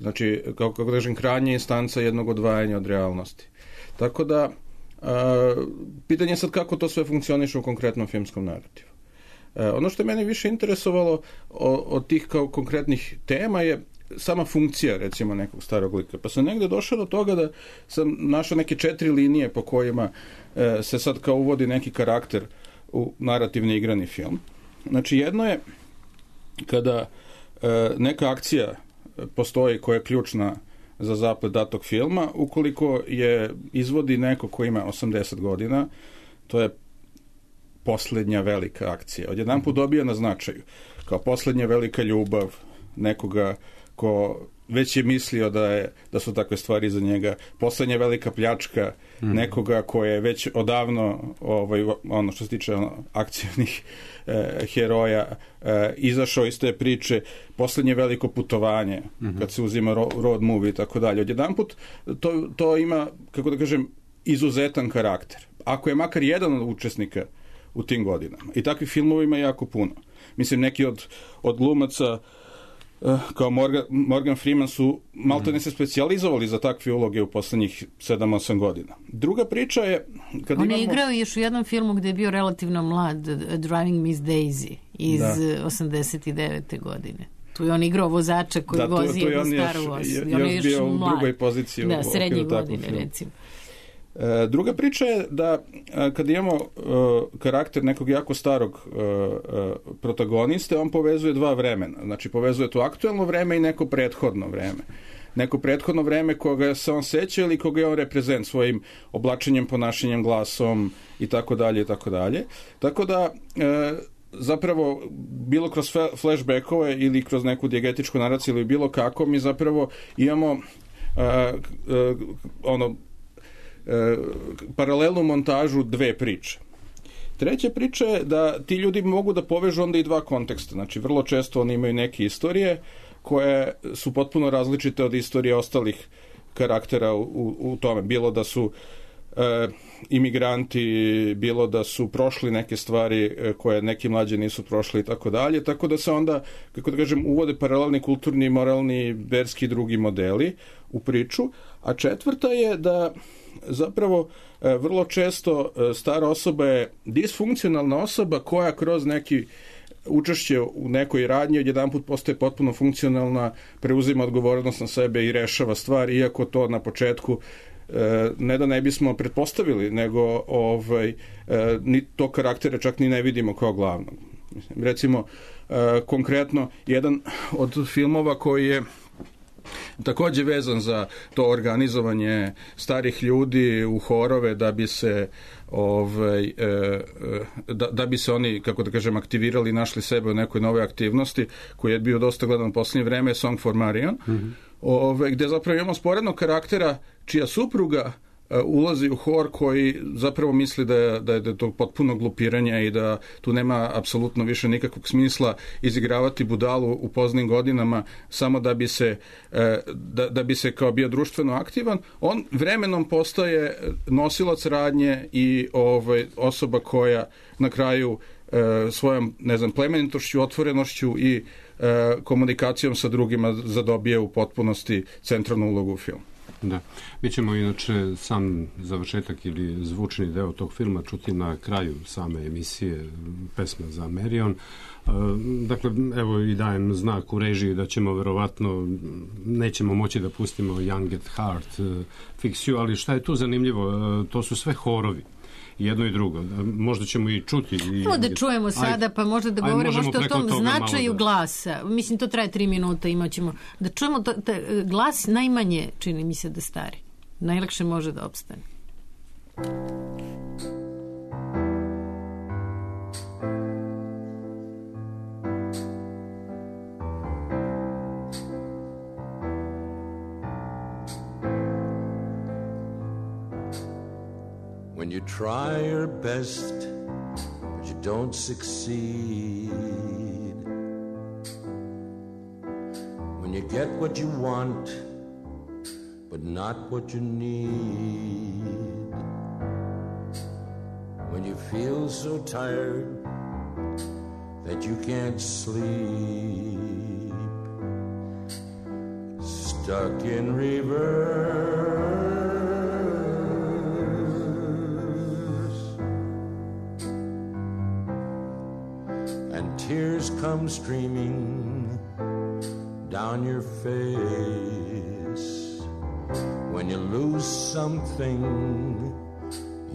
Znači, kako da kažem, krajnja instanca jednog odvajanja od realnosti. Tako da, pitanje je sad kako to sve funkcioniše u konkretnom filmskom narativu. Ono što je mene više interesovalo od tih kao konkretnih tema je sama funkcija, recimo, nekog starog lika. Pa sam negde došao do toga da sam našao neke četiri linije po kojima se sad kao uvodi neki karakter u narativni igrani film. Znači, jedno je kada neka akcija postoji koja je ključna za zaplet datog filma, ukoliko je izvodi neko ko ima osamdeset godina, to je poslednja velika akcija. Odjedan put dobija na značaju. Kao poslednja velika ljubav nekoga ko već je mislio da, je, da su takve stvari za njega. Poslednja velika pljačka mm. nekoga ko je već odavno, ovaj, ono što se tiče ono, akcijnih eh, heroja, eh, izašao iz te priče. Poslednje veliko putovanje, mm-hmm. kad se uzima ro, road movie i tako dalje. Odjedan put to, to ima, kako da kažem, izuzetan karakter. Ako je makar jedan od učesnika u tim godinama. I takvih filmova ima jako puno. Mislim, neki od, od glumaca uh, kao Morgan, Morgan Freeman su maltene se specijalizovali za takve uloge u poslednjih sedam osam godina. Druga priča je... Kad On imamo... je igrao još u jednom filmu gde je bio relativno mlad, Driving Miss Daisy iz da. osamdeset devete godine. Tu je on igrao vozača koji da, tu, vozi tu jednu Star Wars. Još, još, još bio u drugoj poziciji. Da, srednje godine, recimo. E, druga priča je da e, kad imamo e, karakter nekog jako starog e, e, protagoniste, on povezuje dva vremena. Znači, povezuje to aktuelno vreme i neko prethodno vreme. Neko prethodno vreme koga se on seća ili koga je on reprezent svojim oblačenjem, ponašanjem, glasom i tako dalje i tako dalje. Tako da e, zapravo bilo kroz flashbackove ili kroz neku dijegetičku naraciju ili bilo kako, mi zapravo imamo e, e, ono e, paralelnu montažu dve priče. Treća priča je da ti ljudi mogu da povežu onda i dva konteksta. Znači, vrlo često oni imaju neke istorije koje su potpuno različite od istorije ostalih karaktera u, u, u tome. Bilo da su e, imigranti, bilo da su prošli neke stvari e, koje neki mlađi nisu prošli i tako dalje. Tako da se onda, kako da kažem, uvode paralelni kulturni, moralni, verski i drugi modeli u priču. A četvrta je da zapravo e, vrlo često e, stara osoba je disfunkcionalna osoba koja kroz neki učešće u nekoj radnji odjedanput postaje potpuno funkcionalna, preuzima odgovornost na sebe i rešava stvar, iako to na početku e, ne da ne bismo pretpostavili, nego ovaj, e, ni to karaktere čak ni ne vidimo kao glavnog. Recimo, e, konkretno, jedan od filmova koji je takođe vezan za to organizovanje starih ljudi u horove da bi se ovaj, da, da bi se oni, kako da kažem, aktivirali i našli sebe u nekoj nove aktivnosti, koji je bio dosta gledan u posljednje vreme, Song for Marion, mm-hmm. ovaj, gde zapravo imamo sporednog karaktera čija supruga ulazi u hor koji zapravo misli da je, da je, da je to potpuno glupiranje i da tu nema apsolutno više nikakvog smisla izigravati budalu u poznim godinama samo da bi se, da, da bi se kao bio društveno aktivan. On vremenom postaje nosilac radnje i ovaj, osoba koja na kraju svojom, ne znam, plemenitošću, otvorenošću i komunikacijom sa drugima zadobije u potpunosti centralnu ulogu u filmu. Da. Mi ćemo inače sam završetak ili zvučni deo tog filma čuti na kraju same emisije Pesma za Marion. Dakle, evo i dajem znak u režiji da ćemo verovatno, nećemo moći da pustimo Young at Heart, Fix You, ali šta je tu zanimljivo? To su sve horovi. Jedno i drugo. Možda ćemo i čuti. Evo da čujemo sada, pa možda da govorimo možda o tom značaju da... glasa. Mislim, to traje tri minuta, imat ćemo. Da čujemo, to, ta, glas najmanje čini mi se da stari. Najlakše može da opstane. When you try your best, but you don't succeed. When you get what you want, but not what you need. When you feel so tired that you can't sleep. Stuck in reverse. Tears come streaming down your face when you lose something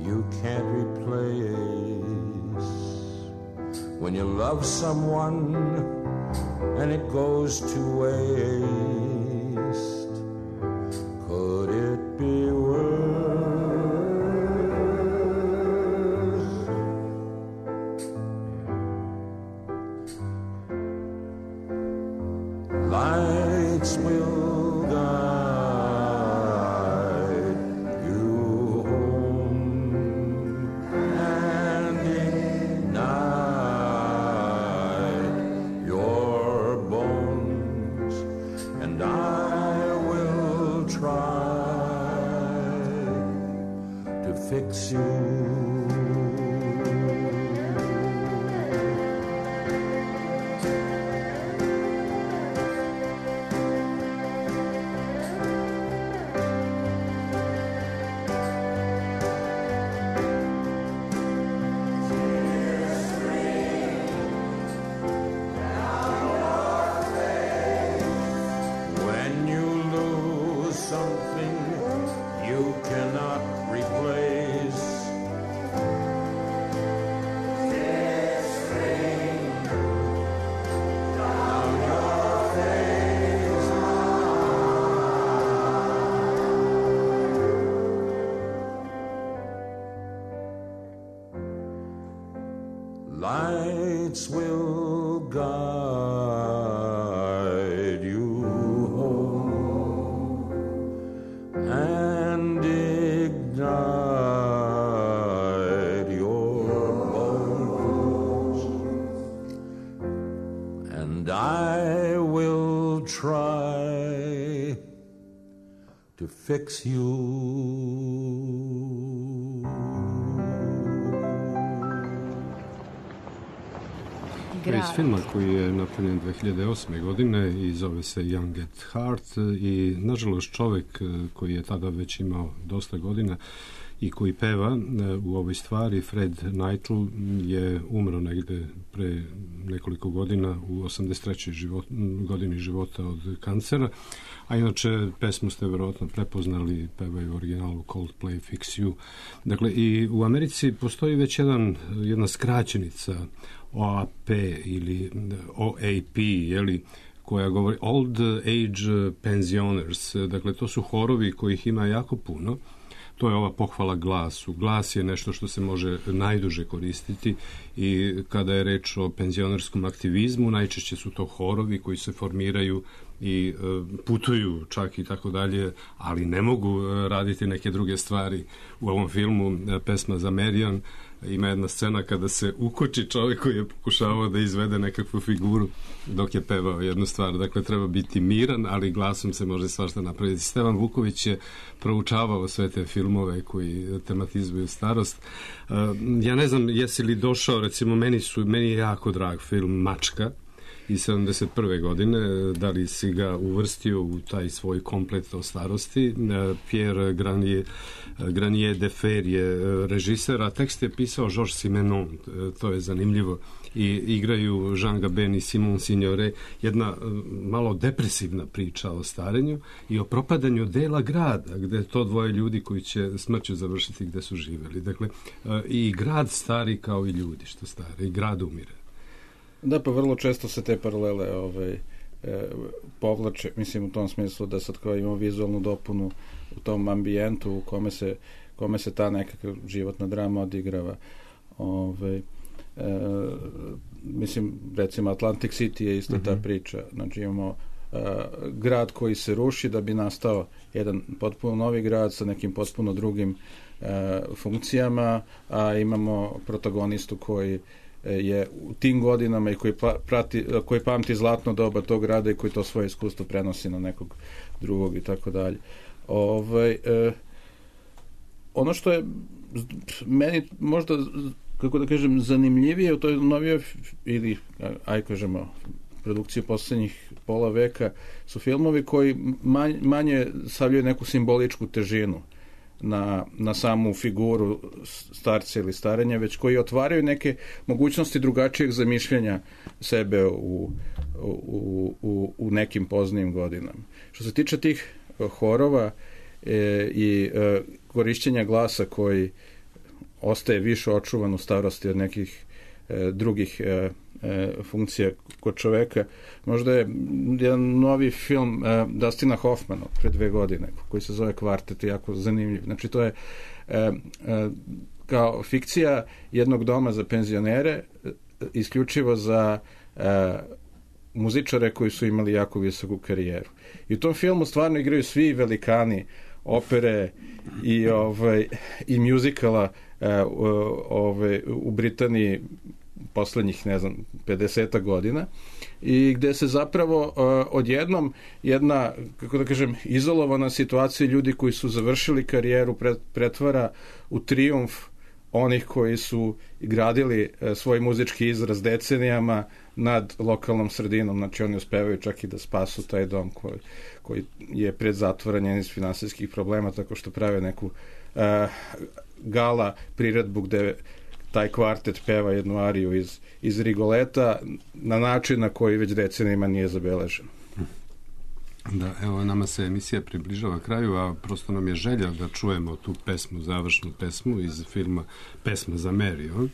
you can't replace. When you love someone and it goes to waste. Could it be worse? Lights will guide you home, and ignite your bones, and I will try to fix you. Something you cannot replace. lights will guide you home and ignite your bones, and I will try to fix you. To je iz filma koji je napravljen dve hiljade osme. godine i zove se Young at Heart i nažalost čovek koji je tada već imao dosta godina i koji peva u ovoj stvari, Fred Neitl, je umro negde pre nekoliko godina u osamdeset trećoj Život, godini života od kancera, a inače pesmu ste verovatno prepoznali, pevaju u originalu Coldplay Fix You. Dakle, i u Americi postoji već jedan, jedna skraćenica O A P ili O A P, jeli, koja govori Old Age Pensioners. Dakle, to su horovi kojih ima jako puno. To je ova pohvala glasu. Glas je nešto što se može najduže koristiti i kada je reč o penzionerskom aktivizmu, najčešće su to horovi koji se formiraju i putuju čak i tako dalje, ali ne mogu raditi neke druge stvari. U ovom filmu pesma za Marion ima jedna scena kada se ukoči čovjek koji je pokušavao da izvede nekakvu figuru dok je pevao jednu stvar. Dakle, treba biti miran, ali glasom se može svašta napraviti. Stevan Vuković je proučavao sve te filmove koji tematizuju starost. Ja ne znam jesi li došao, recimo meni, su, meni je jako drag film Mačka iz sedamdeset prve. godine, da li si ga uvrstio u taj svoj komplet o starosti. Pierre Granier, Granier de Fer je režiser, a tekst je pisao Georges Simenon, to je zanimljivo, i igraju Jean Gabin i Simon Signoret, jedna malo depresivna priča o starenju i o propadanju dela grada, gde to dvoje ljudi koji će smrću završiti gde su živeli. Dakle, i grad stari kao i ljudi što stare, i grad umire. Da, pa vrlo često se te paralele ovaj, e, povlače, mislim u tom smislu da sad kao imamo vizualnu dopunu u tom ambijentu u kome se, kome se ta nekakva životna drama odigrava. Ovaj, e, mislim, recimo Atlantic City je isto ta priča. Znači imamo e, grad koji se ruši da bi nastao jedan potpuno novi grad sa nekim potpuno drugim e, funkcijama, a imamo protagonistu koji je u tim godinama i koji, prati, koji pamti zlatno doba tog grada i koji to svoje iskustvo prenosi na nekog drugog i tako dalje. Ovaj, eh, ono što je meni možda, kako da kažem, zanimljivije u toj novijoj ili, aj kažemo, produkciji poslednjih pola veka su filmovi koji manje, manje stavljaju neku simboličku težinu na, na samu figuru starca ili starenja, već koji otvaraju neke mogućnosti drugačijeg zamišljanja sebe u, u, u, u nekim poznijim godinama. Što se tiče tih horova e, i e, korišćenja glasa koji ostaje više očuvan u starosti od nekih e, drugih e, e, funkcija kod čoveka, možda je jedan novi film e, Dustina Hoffmana pre dve godine koji se zove Kvartet, jako zanimljiv. Znači to je e, e, kao fikcija jednog doma za penzionere, e, isključivo za e, muzičare koji su imali jako visoku karijeru. I u tom filmu stvarno igraju svi velikani opere i ovaj i muzikala e, ove, u Britaniji poslednjih, ne znam, pedeset godina, i gde se zapravo uh, odjednom jedna, kako da kažem, izolovana situacija ljudi koji su završili karijeru pret, pretvara u trijumf onih koji su gradili uh, svoj muzički izraz decenijama nad lokalnom sredinom. Znači oni uspevaju čak i da spasu taj dom koji, koji je pred zatvaranjem iz finansijskih problema, tako što prave neku uh, gala priredbu gde taj kvartet peva jednu ariju iz, iz Rigoleta na način na koji već decenijima nije zabeležen. Da, evo, nama se emisija približava kraju, a prosto nam je želja da čujemo tu pesmu, završnu pesmu iz filma Pesma za Mary.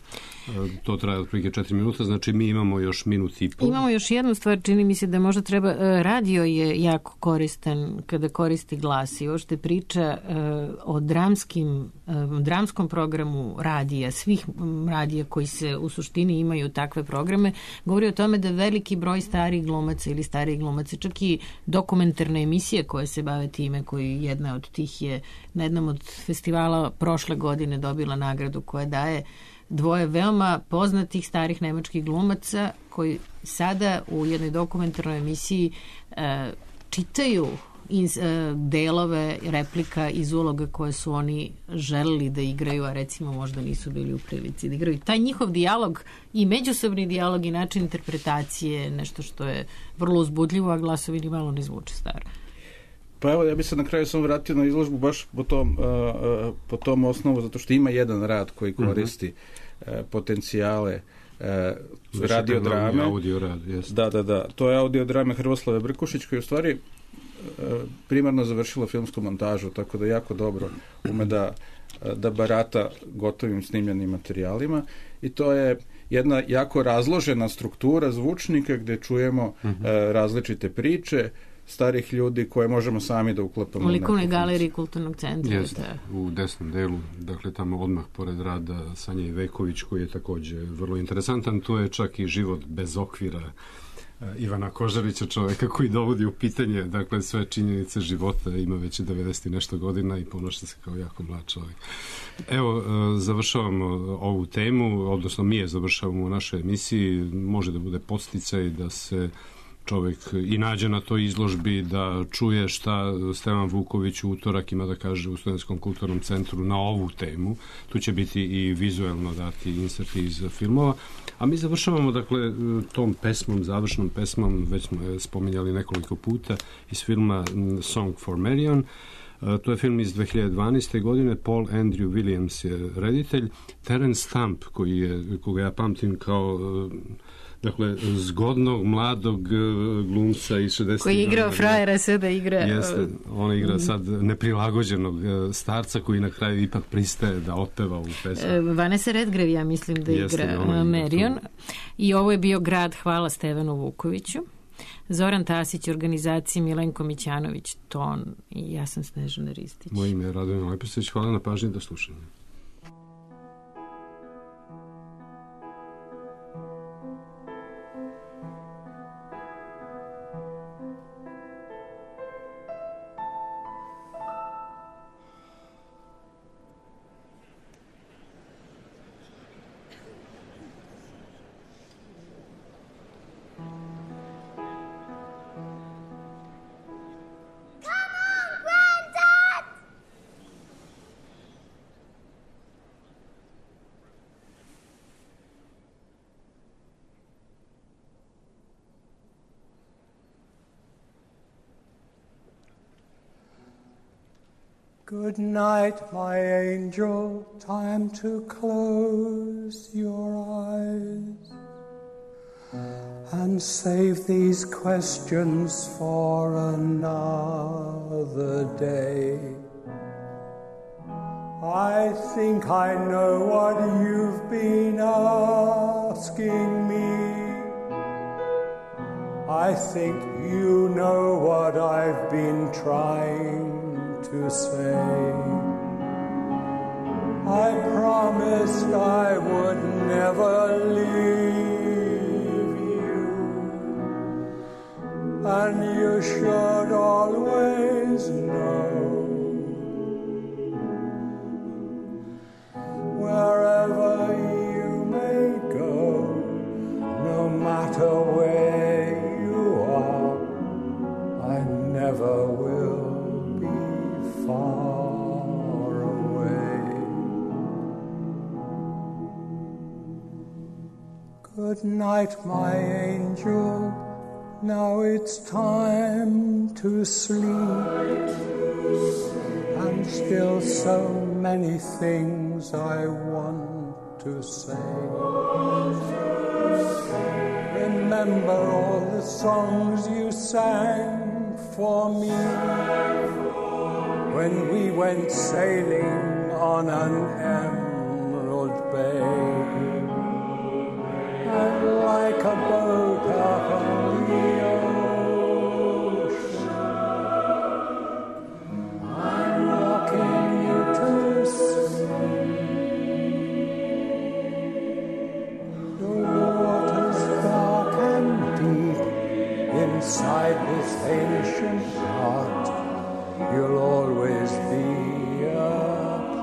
To traje otprilike četiri minuta, znači mi imamo još minut i pol. Imamo još jednu stvar, čini mi se da možda treba, radio je jako koristan kada koristi glas i ošte priča o dramskim, dramskom programu radija, svih radija koji se u suštini imaju takve programe, govori o tome da veliki broj starih glumaca ili starih glumaca, čak i dokumentarne emisije koje se bave time, koji jedna od tih je na jednom od festivala prošle godine dobila nagradu koja daje dvoje veoma poznatih starih nemačkih glumaca koji sada u jednoj dokumentarnoj emisiji e, čitaju iz, e, delove replika iz uloga koje su oni želeli da igraju, a recimo možda nisu bili u prilici da igraju. Taj njihov dijalog i međusobni dijalog i način interpretacije nešto što je vrlo uzbudljivo, a glasovi ni malo ne zvuče staro. Pa evo, ja bih se na kraju sam vratio na izložbu baš po tom, uh, uh, po tom osnovu, zato što ima jedan rad koji koristi uh-huh. uh, potencijale uh, radiodrame. Audio rad, jest. Da, da, da. To je audiodrame Hrvoslave Brkušić, koji u stvari uh, primarno završila filmsku montažu, tako da jako dobro ume da, da barata gotovim snimljenim materijalima i to je jedna jako razložena struktura zvučnika gde čujemo uh-huh. uh, različite priče starih ljudi koje možemo sami da uklapamo. U likovnoj galeriji Kulturnog centra. Jeste, u desnom delu, dakle tamo odmah pored rada Sanje Iveković, koji je takođe vrlo interesantan. To je čak i život bez okvira Ivana Kožarića, čoveka koji dovodi u pitanje, dakle, sve činjenice života, ima već devedeset i nešto godina i ponaša se kao jako mlad čovjek. Evo, završavamo ovu temu, odnosno mi je završavamo u našoj emisiji, može da bude podsticaj da se čovjek i nađe na toj izložbi, da čuje šta Stevan Vuković u utorak ima da kaže u Studentskom kulturnom centru na ovu temu. Tu će biti i vizuelno dati inserti iz filmova. A mi završavamo, dakle, tom pesmom, završnom pesmom, već smo je spominjali nekoliko puta, iz filma Song for Marion. To je film iz dve hiljade dvanaeste. godine. Paul Andrew Williams je reditelj. Terence Stamp, koji je, koga ja pamtim kao dakle, zgodnog, mladog glumca iz šezdesetih. Koji je igrao frajera, sada igra... Jeste, on igra sad neprilagođenog starca koji na kraju ipak pristaje da otpeva ovu pesmu. Vanessa Redgrave, ja mislim da Jeste, igra Marion. I ovo je bio Grad, hvala Stevanu Vukoviću. Zoran Tasić, organizacija Milenko Mićanović, ton i ja sam Snežana Ristić. Moje ime je Radovan Lepisović, hvala na pažnji, do slušanja. Good night, my angel, time to close your eyes and save these questions for another day. I think I know what you've been asking me. I think you know what I've been trying to say. I promised I would never leave you, and you should always know, wherever you may go, no matter where you are, I never will far away. Good night, my angel, now it's time to sleep, and still so many things I want to say. Remember all the songs you sang for me when we went sailing on an emerald bay, and like a boat upon the ocean, I'm rocking you to sleep. The waters dark and deep inside this ancient heart, you'll always be a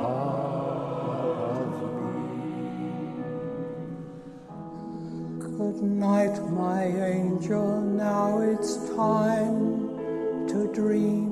part of me. Good night, my angel, now it's time to dream.